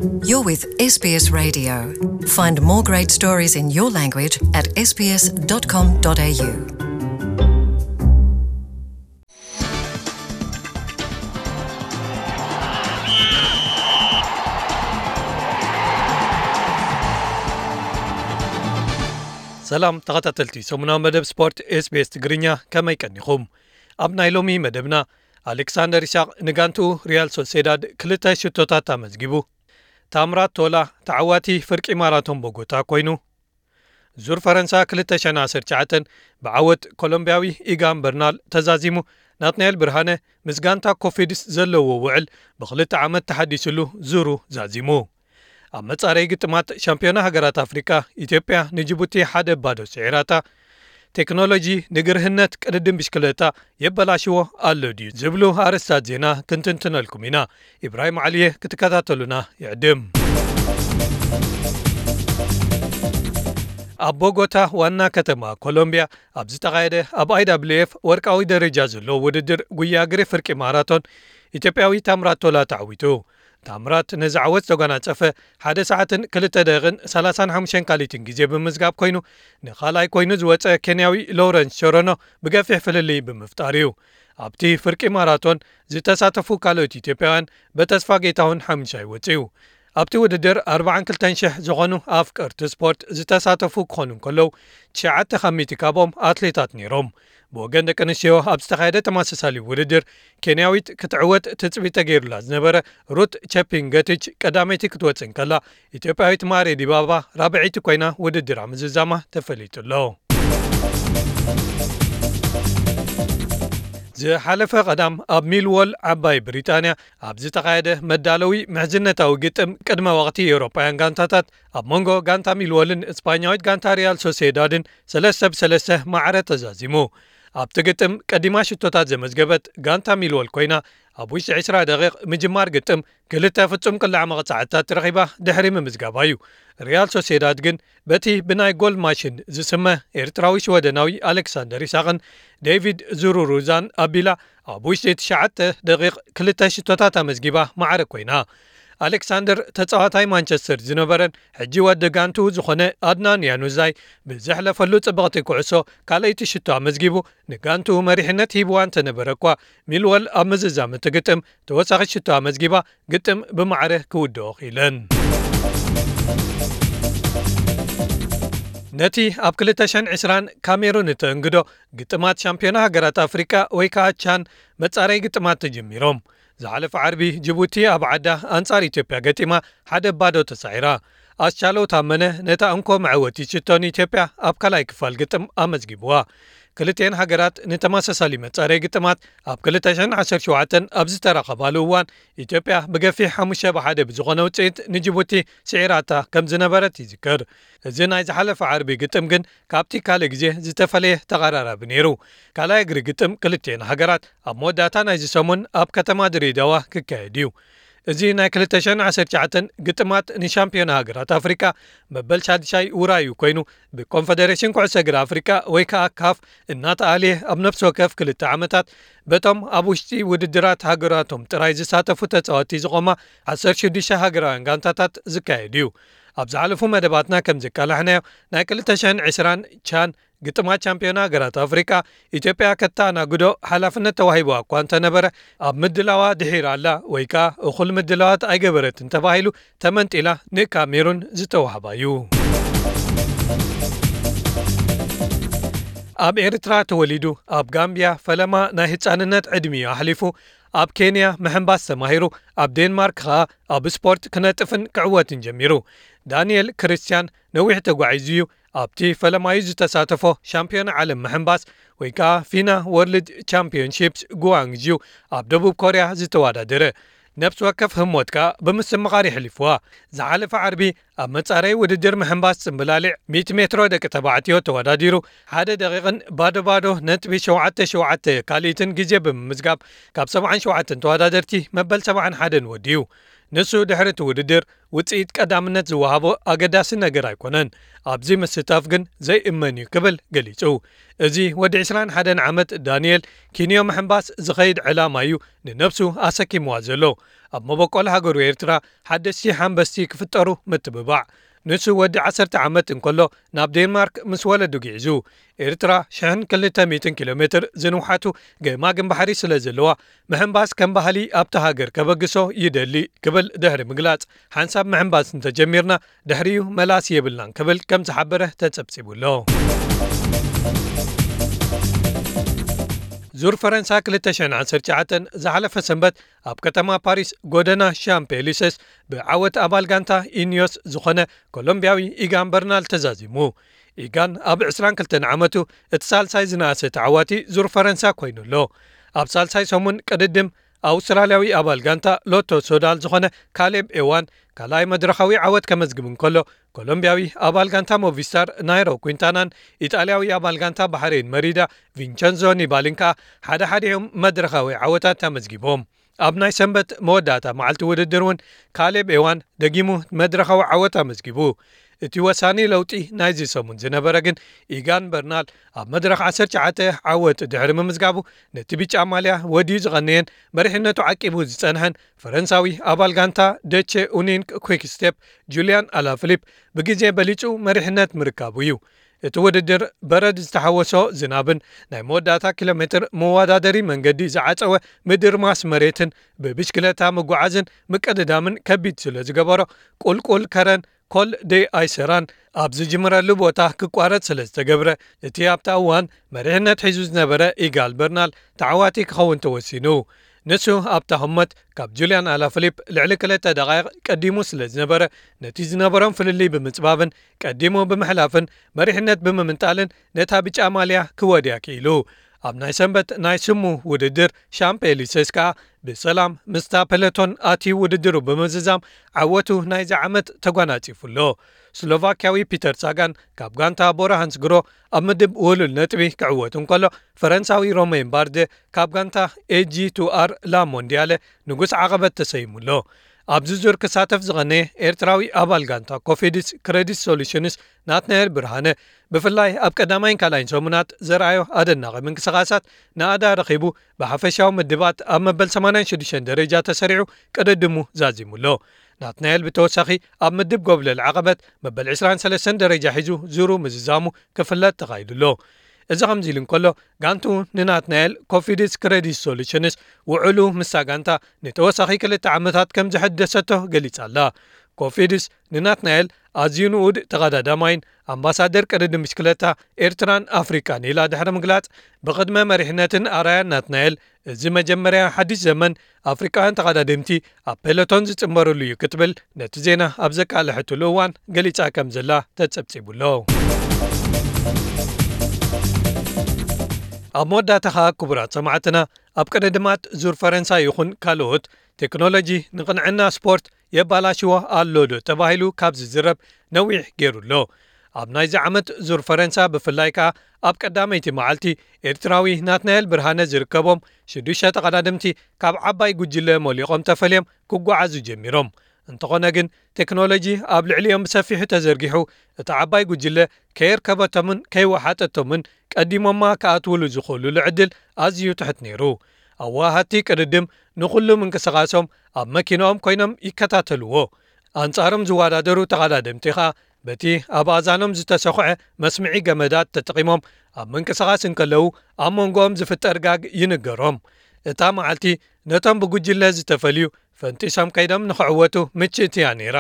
You're with S B S Radio. Find more great stories in your language at S B S dot com dot A U. ሰላም ተኸታተልቲ ሰሙናዊ መደብ ስፖርት S B S ትግርኛ፣ ከመይ ቀኒኹም? ኣብ ናይ ሎሚ መደብና፣ ኣሌክሳንደር ኢሳቕ ንጋንትኡ ሪያል ሶሴዳድ ክልተ ሽቶታት ኣመዝጊቡ። ታምራት ቶላ ተዓዋቲ ፍርቂ ማራቶን ቦጎታ ኮይኑ። ዙር ፈረንሳ ክልተ ሽሕን ዓሰርተ ትሽዓተን ብዓወት ኮሎምቢያዊ ኢጋን በርናል ተዛዚሙ። ናትናኤል ብርሃነ ምስ ጋንታ ኮፊድስ ዘለዎ ውዕል ብኽልተ ዓመት ተሓዲስሉ ዙሩ ዛዚሙ። ኣብ መጻረይ ግጥማት ሻምፒዮና ሃገራት ኣፍሪቃ፣ ኢትዮጵያ ንጅቡቲ ሓደ ባዶ ስዒራታ። ቴክኖሎጂ ንግርህነት ቅድድም ብሽክለታ የበላሽዎ ኣሎ ድዩ ዝብሉ ኣርእስታት ዜና ክንትንትነልኩም ኢና። ኢብራሂም ዓሊየ ክትከታተሉና ይዕድም። ኣብ ቦጎታ ዋና ከተማ ኮሎምቢያ ኣብ ዝተኻየደ ኣብ I W F ወርቃዊ ደረጃ ዘለዎ ውድድር ጉያ እግሪ ፍርቂ ማራቶን ኢትዮጵያዊ ታምራት ቶላ ተዓዊቱ። ታምራት ነዚ ዓወት ዘጓናጸፈ ሓደ ሰዓትን ክልተ ደቂቕን ሰላሳን ሓሙሽተን ካልኢትን ግዜ ብምዝጋብ ኮይኑ፣ ንኻልኣይ ኮይኑ ዝወጸ ኬንያዊ ሎረንስ ሸረኖ ብገፊሕ ፍልልይ ብምፍጣር እዩ። ኣብቲ ፍርቂ ማራቶን ዝተሳተፉ ካልኦት ኢትዮጵያውያን በተስፋ ጌታሁን ሓሙሻይ ወጺኡ። ኣብቲ ውድድር ኣርባዓን ክልተን ሽሕ ዝኾኑ ኣፍቀርቲ ስፖርት ዝተሳተፉ ክኾኑ እንከለዉ፣ ትሽዓተ ካብ ሚእቲ ካብኦም ኣትሌታት ነይሮም። ብወገን ደቂ ኣንስትዮ ኣብ ዝተኻየደ ተመሳሳሊ ውድድር፣ ኬንያዊት ክትዕወት ትጽቢት ተገይሩላ ዝነበረ ሩት ቸፒንገቲች ቀዳመይቲ ክትወጽእ እንከላ፣ ኢትዮጵያዊት ማሬ ዲባባ ራብዐይቲ ኮይና ውድድራ ምዝዛማ ተፈሊጡ ኣሎ። ዝሓለፈ ቀዳም ኣብ ሚልዎል ዓባይ ብሪጣንያ ኣብ ዝተኻየደ መዳለዊ ምሕዝነታዊ ግጥም ቅድመ ወቕቲ ኤውሮጳውያን ጋንታታት ኣብ መንጎ ጋንታ ሚልዎልን እስፓኛዊት ጋንታ ሪያል ሶሴዳድን ሰለስተ ብሰለስተ ማዕረ ተዛዚሙ። ኣብቲ ግጥም ቀዲማ ሽቶታት ዘመዝገበት ጋንታ ሚልዎል ኮይና፣ ኣብ ውሽጢ ዕስራ ደቂቕ ምጅማር ግጥም ክልተ ፍጹም ቅላዕ መቕጻዕትታት ረኺባ ድሕሪ ምምዝጋባ እዩ። ሪያል ሶሴዳድ ግን በቲ ብናይ ጎል ማሽን ዝስመ ኤርትራዊ ሽወደናዊ ኣሌክሳንደር ኢሳቕን ዴቪድ ዙሩሩዛን ኣቢላ ኣብ ውሽጢ ትሽዓተ ደቂቕ ክልተ ሽቶታት ኣመዝጊባ ማዕረ ኮይና። ኣሌክሳንደር ተጻዋታይ ማንቸስተር ዝነበረን ሕጂ ወዲ ጋንቱ ዝኾነ ኣድናን ያኑዛይ ብዘሕለፈሉ ጽብቕቲ ኩዕሶ ካልኣይቲ ሽቶ ኣመዝጊቡ ንጋንቱ መሪሕነት ሂብዋ እንተነበረ እኳ፣ ሚልወል ኣብ ምዝዛም እቲ ግጥም ተወሳኺ ሽቶ ኣመዝጊባ ግጥም ብማዕረ ክውድኦ ክኢለን። ነቲ ኣብ ክልተ ሽሕን ዕስራን ካሜሩን እተእንግዶ ግጥማት ሻምፒዮና ሃገራት ኣፍሪቃ ወይ ከዓ ቻን መጻረይ ግጥማት ተጀሚሮም። ዝሓለፈ ዓርቢ ጅቡቲ ኣብ ዓዳ ኣንጻር ኢትዮጵያ ገጢማ ሓደ ባዶ ተሳዒራ። ኣስቻለው ታመነ ነታ እንኮ መዐወቲ ሽቶ ንኢትዮጵያ ኣብ ካልኣይ ክፋል ግጥም ኣመዝጊብዋ። ክልቲኤን ሃገራት ንተመሳሳሊ መጻረይ ግጥማት ኣብ ክልተ ሽሕን ዓሰርተ ሸውዓተን ኣብ ዝተራኸባሉ እዋን ኢትዮጵያ ብገፊሕ ሓሙሽተ ብሓደ ብዝኾነ ውጽኢት ንጅቡቲ ስዒራታ ከም ዝነበረት ይዝከር። እዚ ናይ ዝሓለፈ ዓርቢ ግጥም ግን ካብቲ ካልእ ግዜ ዝተፈለየ ተቐራራቢ ነይሩ። ካልኣይ እግሪ ግጥም ክልቲኤን ሃገራት ኣብ መወዳእታ ናይዚ ሰሙን ኣብ ከተማ ድሬዳዋ ክካየድ እዩ። እዚ ናይ ክልተ ሽሕን ዓሰርተ ትሽዓተን ግጥማት ንሻምፒዮና ሃገራት ኣፍሪቃ መበል ሻድሻይ ውራዩ ኮይኑ፣ ብኮንፈደሬሽን ኩዕሶ እግሪ ኣፍሪቃ ወይ ከዓ ካፍ እናተኣልየ ኣብ ነፍሲ ወከፍ ክልተ ዓመታት በቶም ኣብ ውሽጢ ውድድራት ሃገራቶም ጥራይ ዝሳተፉ ተጻወትቲ ዝቖማ ዓሰርተ ሽዱሽተ ሃገራውያን ጋንታታት ዝካየድ እዩ። ኣብ ዝሓለፉ መደባትና ከም ዘቃላሕናዮ ናይ ክልተ ሽሕን ዕስራን ቻን ግጥማት ቻምፒዮና ሃገራት ኣፍሪቃ ኢትዮጵያ ከተኣናግዶ ሓላፍነት ተዋሂብዋ እኳ እንተነበረ፣ ኣብ ምድላዋ ድሒራ ኣላ ወይ ከኣ እኹል ምድላዋት ኣይገበረትን ተባሂሉ ተመንጢላ ንካሜሩን ዝተዋህባ እዩ። ኣብ ኤርትራ ተወሊዱ ኣብ ጋምብያ ፈለማ ናይ ህጻንነት ዕድሚኡ ኣሕሊፉ፣ ኣብ ኬንያ ምሕንባስ ተማሂሩ፣ ኣብ ዴንማርክ ከኣ ኣብ ስፖርት ክነጥፍን ክዕወትን ጀሚሩ። ዳንኤል ክርስትያን ነዊሕ ተጓዒዙ እዩ ኣብቲ ፈለማዩ ዝተሳተፎ ሻምፒዮን ዓለም ምሕንባስ ወይ ከኣ ፊና ወርልድ ቻምፒዮንሺፕስ ጉዋንግዩ ኣብ ደቡብ ኮርያ ዝተወዳደረ። ነፍሲ ወከፍ ህሞት ከኣ ብምስምቓር የሕሊፍዋ። ዝሓለፈ ዓርቢ ኣብ መጻረይ ውድድር ምሕንባስ ጽምብላሊዕ ሚእቲ ሜትሮ ደቂ ተባዕትዮ ተወዳዲሩ ሓደ ደቂቕን ባዶ ባዶ ነጥቢ ሸውዓተ ሸውዓተ ካልኢትን ግዜ ብምምዝጋብ ካብ ሰብዓን ሸውዓተን ተወዳደርቲ መበል ሰብዓን ሓደን ወዲኡ። ንሱ ድሕሪ እቲ ውድድር ውጽኢት ቀዳምነት ዝወሃቦ ኣገዳሲ ነገር ኣይኮነን፣ ኣብዚ ምስታፍ ግን ዘይእመን እዩ ክብል ገሊጹ። እዚ ወዲ ዕስራን ሓደን ዓመት ዳንኤል ኪንዮ ምሕንባስ ዝኸይድ ዕላማ እዩ ንነብሱ ኣሰኪምዋ ዘሎ። ኣብ መበቆል ሃገሩ ኤርትራ ሓደሽቲ ሓንበስቲ ክፍጠሩ ምትብባዕ። ንሱ ወዲ ዓሰርተ ዓመት እንከሎ ናብ ዴንማርክ ምስ ወለዱ ግዒዙ። ኤርትራ ሽሕን ክልተ ሚእትን ኪሎ ሜትር ዝንውሓቱ ገማግም ባሕሪ ስለ ዘለዋ፣ ምሕንባስ ከም ባህሊ ኣብታ ሃገር ከበግሶ ይደሊ ክብል ድሕሪ ምግላጽ፣ ሓንሳብ ምሕንባስ እንተጀሚርና ድሕሪኡ መላሲ የብልናን ክብል ከም ዝሓበረ ተጸብጺቡ ኣሎ። ዙር ፈረንሳ ክልተ ሽሕን ዓሰርተ ትሽዓተን ዝሓለፈ ሰንበት ኣብ ከተማ ፓሪስ ጎደና ሻምፕ ኤሊሰስ ብዓወት ኣባል ጋንታ ኢኒዮስ ዝኾነ ኮሎምቢያዊ ኢጋን በርናል ተዛዚሙ። ኢጋን ኣብ ዕስራን ክልተን ዓመቱ እቲ ሳልሳይ ዝነኣሰ ተዓዋቲ ዙር ፈረንሳ ኮይኑ ኣሎ። ኣብ ሳልሳይ ሰሙን ቅድድም ኣውስትራልያዊ ኣባል ጋንታ ሎቶ ሶዳል ዝኾነ ካሌብ ኤዋን ካልኣይ መድረኻዊ ዓወት ከመዝግብ እንከሎ፣ ኮሎምቢያዊ ኣባል ጋንታ ሞቪስታር ናይሮ ኩንታናን ኢጣልያዊ ኣባል ጋንታ ባሕሬን መሪዳ ቪንቸንዞ ኒባሊን ከኣ ሓደ ሓደ እዮም መድረኻዊ ዓወታት ኣመዝጊቦም። ኣብ ናይ ሰንበት መወዳእታ መዓልቲ ውድድር እውን ካሌብ ኤዋን ደጊሙ መድረኻዊ ዓወት ኣመዝጊቡ። እቲ ወሳኒ ለውጢ ናይዚ ሰሙን ዝነበረ ግን ኢጋን በርናል ኣብ መድረኽ ዓሰርተ ትሽዓተ ዓወት ድሕሪ ምምዝጋቡ ነቲ ብጫ ማልያ ወድዩ ዝቐነየን መሪሕነቱ ዓቂቡ ዝጸንሐን ፈረንሳዊ ኣባል ጋንታ ደቼ ኡኒንክ ኩክ ስቴፕ ጁልያን ኣላፍሊፕ ብግዜ በሊጹ መሪሕነት ምርካቡ እዩ። እቲ ውድድር በረድ ዝተሓወሶ ዝናብን ናይ መወዳእታ ኪሎ ሜትር መወዳደሪ መንገዲ ዝዓጸወ ምድርማስ መሬትን ብብሽክለታ ምጉዓዝን ምቅድዳምን ከቢድ ስለ ዝገበሮ፣ ቁልቁል ከረን ኮል ዴ ኣይሰራን ኣብ ዝጅምረሉ ቦታ ክቋረጽ ስለ ዝተገብረ፣ እቲ ኣብታ እዋን መሪሕነት ሒዙ ዝነበረ ኢጋል በርናል ተዓዋቲ ክኸውን ተወሲኑ። ንሱ ኣብታ ህሞት ካብ ጁልያን ኣላፍሊፕ ልዕሊ ክልተ ደቓይቕ ቀዲሙ ስለ ዝነበረ፣ ነቲ ዝነበሮም ፍልልይ ብምጽባብን ቀዲሙ ብምሕላፍን መሪሕነት ብምምንጣልን ነታ ብጫ ማልያ ክወድያ ክኢሉ። ኣብ ናይ ሰንበት ናይ ስሙ ውድድር ሻምፕ ኤሊሰስ ከኣ ብሰላም ምስታ ፔሎቶን ኣትዩ ውድድሩ ብምዝዛም ዓወቱ ናይዚ ዓመት ተጓናጺፉ ኣሎ። ስሎቫክያዊ ፒተር ሳጋን ካብ ጋንታ ቦራ ሃንስግሮ ኣብ ምድብ ውሉል ነጥቢ ክዕወት እንከሎ፣ ፈረንሳዊ ሮሜን ባርደ ካብ ጋንታ ኤጂ ቱ ኣር ላ ሞንዲያለ ንጉስ ዓቐበት ተሰይሙ ኣሎ። ኣብዚ ዙር ክሳተፍ ዝቐነየ ኤርትራዊ ኣባል ጋንታ ኮፊድስ ክሬዲት ሶሉሽንስ ናትናኤል ብርሃነ፣ ብፍላይ ኣብ ቀዳማይን ካልኣይን ሰሙናት ዘርኣዮ ኣደናቒ ምንቅስቓሳት ናእዳ ረኺቡ፣ ብሓፈሻዊ ምድባት ኣብ መበል ሰማንያን ሽዱሽተን ደረጃ ተሰሪዑ ቅድድሙ ዛዚሙ ኣሎ። ናትናኤል ብተወሳኺ ኣብ ምድብ ጎብለል ዓቐበት መበል ዕስራን ሰለስተን ደረጃ ሒዙ ዙሩ ምዝዛሙ ክፍለጥ ተኻኢሉ ኣሎ። እዚ ከምዚ ኢሉ እንከሎ፣ ጋንቱ ንናትናኤል ኮፊድስ ክሬዲት ሶሉሽንስ ውዕሉ ምስታ ጋንታ ንተወሳኺ ክልተ ዓመታት ከም ዝሐደሰቶ ገሊጻ ኣላ። ኮፊድስ ንናትናኤል ኣዝዩ ንኡድ ተቐዳዳማይን ኣምባሳደር ቅድድም ብሽክለታ ኤርትራን ኣፍሪቃን ኢላ ድሕሪ ምግላጽ፣ ብቕድመ መሪሕነትን ኣርኣያን ናትናኤል፣ እዚ መጀመርያ ሓድሽ ዘመን ኣፍሪቃውያን ተቐዳደምቲ ኣብ ፔሎቶን ዝጽንበርሉ እዩ ክትብል ነቲ ዜና ኣብ ዘቃልሐትሉ እዋን ገሊጻ ከም ዘላ ተጸብጺቡ ኣሎ። ኣብ መወዳእታ ኸኣ ክቡራት ሰማዕትና፣ ኣብ ቅድድማት ዙር ፈረንሳ ይኹን ካልኦት ቴክኖሎጂ ንቕንዕና ስፖርት የባላሽዎ ኣሎ ዶ ተባሂሉ ካብ ዝዝረብ ነዊሕ ገይሩ ኣሎ። ኣብ ናይዚ ዓመት ዙር ፈረንሳ ብፍላይ ከኣ ኣብ ቀዳመይቲ መዓልቲ ኤርትራዊ ናትናኤል ብርሃነ ዝርከቦም ሽዱሽተ ተቐዳደምቲ ካብ ዓባይ ጉጅለ ሞሊቖም ተፈልዮም ክጓዓዙ ጀሚሮም። እንተኾነ ግን ቴክኖሎጂ ኣብ ልዕሊኦም ብሰፊሑ ተዘርጊሑ እቲ ዓባይ ጉጅለ ከየርከበቶምን ከይወሓጠቶምን ቀዲሞማ ክኣትውሉ ዝኽእሉሉ ዕድል ኣዝዩ ትሕት ነይሩ። ኣወሃሃድቲ ቅድድም ንኹሉ ምንቅስቓሶም ኣብ መኪናኦም ኮይኖም ይከታተልዎ። ኣንጻሮም ዝወዳደሩ ተቐዳደምቲ ኸኣ በቲ ኣብ ኣእዛኖም ዝተሰኹዐ መስምዒ ገመዳት ተጠቒሞም ኣብ ምንቅስቓስ እንከለዉ ኣብ መንጎኦም ዝፍጠር ጋግ ይንገሮም። እታ መዓልቲ ነቶም ብጉጅለ ዝተፈልዩ ፈንጢሶም ከይዶም ንኽዕወቱ ምችእቲ እያ ነይራ።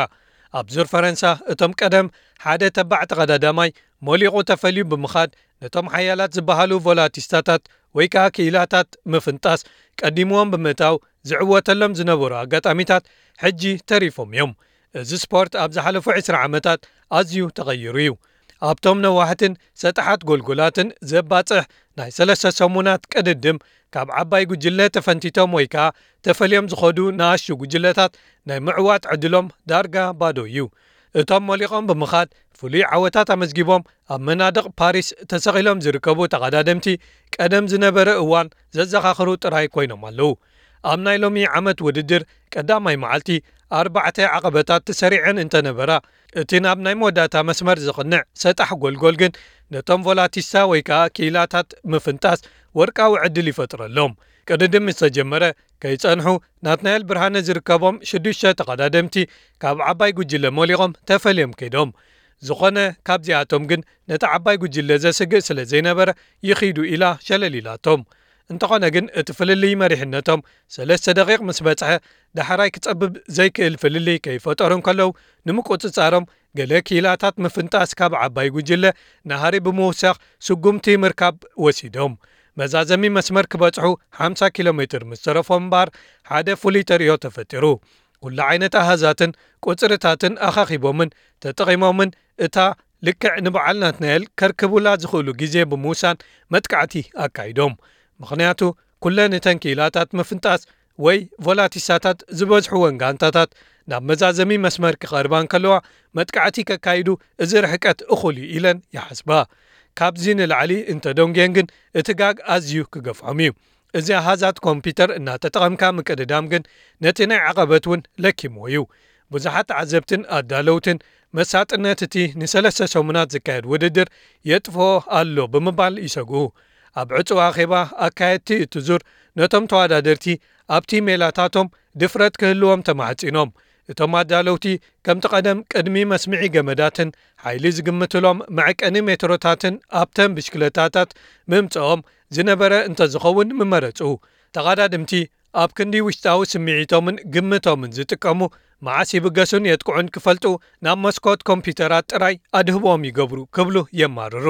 ኣብ ዙር ፈረንሳ እቶም ቀደም ሓደ ተባዕ ተቐዳዳማይ ሞሊቑ ተፈልዩ ብምኻድ ነቶም ሓያላት ዝበሃሉ ቮላቲስታታት ወይ ከኣ ክኢላታት ምፍንጣስ ቀዲምዎም ብምእታው ዝዕወተሎም ዝነበሩ ኣጋጣሚታት ሕጂ ተሪፎም እዮም። እዚ ስፖርት ኣብ ዝሓለፉ ዕስራ ዓመታት ኣዝዩ ተቐይሩ እዩ። ኣብቶም ነዋሕትን ሰጣሓት ጎልጎላትን ዘባጽሕ ናይ ሰለስተ ሰሙናት ቅድድም ካብ ዓባይ ጉጅለ ተፈንቲቶም ወይ ከኣ ተፈልዮም ዝኸዱ ንኣሽቱ ጉጅለታት ናይ ምዕዋት ዕድሎም ዳርጋ ባዶ እዩ። እቶም ሞሊቖም ብምኻድ ፍሉይ ዓወታት ኣመዝጊቦም ኣብ መናድቕ ፓሪስ ተሰቒሎም ዝርከቡ ተቐዳደምቲ ቀደም ዝነበረ እዋን ዘዘኻኽሩ ጥራይ ኮይኖም ኣለዉ። ኣብ ናይ ሎሚ ዓመት ውድድር ቀዳማይ መዓልቲ ኣርባዕተ ዓቐበታት ተሰሪዐን እንተነበራ፣ እቲ ናብ ናይ መወዳእታ መስመር ዝቕንዕ ሰጣሕ ጎልጎል ግን ነቶም ቮላቲስታ ወይ ከዓ ክኢላታት ምፍንጣስ ወርቃዊ ዕድል ይፈጥረሎም። ቅድድም ምስ ተጀመረ ከይጸንሑ ናትናኤል ብርሃነ ዝርከቦም ሽዱሽተ ተቐዳደምቲ ካብ ዓባይ ጉጅለ ሞሊቖም ተፈልዮም ከይዶም። ዝኾነ ካብዚኣቶም ግን ነቲ ዓባይ ጉጅለ ዘስግእ ስለ ዘይነበረ ይኺዱ ኢላ ሸለል ኢላቶም። እንተኾነ ግን እቲ ፍልልይ መሪሕነቶም ሰለስተ ደቂቕ ምስ በጽሐ ዳሕራይ ክጸብብ ዘይክእል ፍልልይ ከይፈጠሩ እንከለዉ ንምቁጽጻሮም ገለ ክኢላታት ምፍንጣስ ካብ ዓባይ ጉጅለ ናሃሪ ብምውሳኽ ስጉምቲ ምርካብ ወሲዶም። መዛዘሚ መስመር ክበጽሑ ሓምሳ ኪሎ ሜትር ምስ ተረፎም እምበኣር ሓደ ፍሉይ ተርእዮ ተፈጢሩ። ኩሉ ዓይነት ኣሃዛትን ቁጽርታትን ኣኻኺቦምን ተጠቒሞምን እታ ልክዕ ንበዓል ናትናኤል ከርክቡላ ዝኽእሉ ግዜ ብምውሳን መጥቃዕቲ ኣካይዶም። ምኽንያቱ ኩለን እተን ክኢላታት ምፍንጣስ ወይ ቮላቲሳታት ዝበዝሕወን ጋንታታት ናብ መዛዘሚ መስመር ክቐርባ እንከለዋ መጥቃዕቲ ከካይዱ እዚ ርሕቀት እኹል እዩ ኢለን ይሓስባ። ካብዚ ንላዕሊ እንተደንጉየን ግን እቲ ጋግ ኣዝዩ ክገፍዖም እዩ። እዚ ኣሃዛት ኮምፒውተር እናተጠቐምካ ምቅድዳም ግን ነቲ ናይ ዓቐበት እውን ለኪምዎ እዩ። ብዙሓት ተዓዘብትን ኣዳለውትን መሳጥነት እቲ ንሰለስተ ሰሙናት ዝካየድ ውድድር የጥፍኦ ኣሎ ብምባል ይሰግኡ። ኣብ ዕጹው ኣኼባ ኣካየድቲ እቲ ዙር ነቶም ተወዳደርቲ ኣብቲ ሜላታቶም ድፍረት ክህልዎም ተማሕጺኖም። እቶም ኣዳለውቲ ከምቲ ቀደም ቅድሚ መስምዒ ገመዳትን ሓይሊ ዝግምትሎም መዐቀኒ ሜትሮታትን ኣብተን ብሽክለታታት ምምጽኦም ዝነበረ እንተዝኸውን ምመረጹ። ተቐዳድምቲ ኣብ ክንዲ ውሽጣዊ ስምዒቶምን ግምቶምን ዝጥቀሙ፣ መዓስ ይብገሱን የጥቅዑን ክፈልጡ ናብ መስኮት ኮምፒውተራት ጥራይ ኣድህቦም ይገብሩ ክብሉ የማርሩ።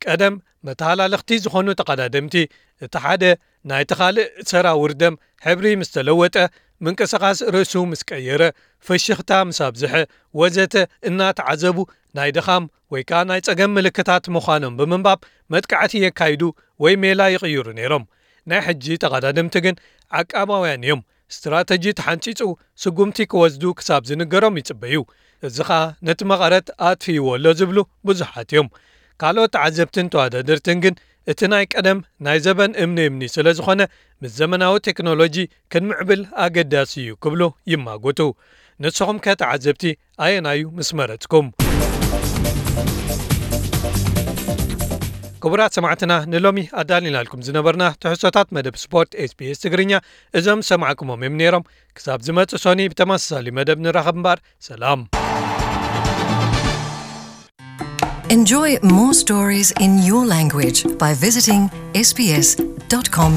ቀደም መተሃላለኽቲ ዝኾኑ ተቐዳደምቲ እቲ ሓደ ናይቲ ካልእ ሰራውር ደም ሕብሪ ምስ ተለወጠ፣ ምንቅስቓስ ርእሱ ምስ ቀየረ፣ ፍሽኽታ ምስ ኣብዝሐ ወዘተ እናተዓዘቡ ናይ ድኻም ወይ ከዓ ናይ ጸገም ምልክታት ምዃኖም ብምንባብ መጥቃዕቲ የካይዱ ወይ ሜላ ይቕይሩ ነይሮም። ናይ ሕጂ ተቐዳደምቲ ግን ዓቃባውያን እዮም። ስትራተጂ ተሓንጺጹ ስጉምቲ ክወስዱ ክሳብ ዝንገሮም ይጽበዩ። እዚ ኸኣ ነቲ መቐረት ኣጥፊእዎ ኣሎ ዝብሉ ብዙሓት እዮም። ካልኦት ተዓዘብትን ተወዳደርትን ግን እቲ ናይ ቀደም ናይ ዘበን እምኒ እምኒ ስለ ዝኾነ ምስ ዘመናዊ ቴክኖሎጂ ክንምዕብል ኣገዳሲ እዩ ክብሉ ይማጎቱ። ንስኹም ከ ተዓዘብቲ ኣየናዩ ምስ መረጽኩም? ክቡራት ሰማዕትና ንሎሚ ኣዳሊናልኩም ዝነበርና ትሕዝቶታት መደብ ስፖርት ኤስቢኤስ ትግርኛ እዞም ዝሰማዕኩሞም እዮም ነይሮም። ክሳብ ዝመጽእ ሶኒ ብተመሳሳሊ መደብ ንራኸብ እምበር ሰላም። Enjoy more stories in your language by visiting sbs.com.au.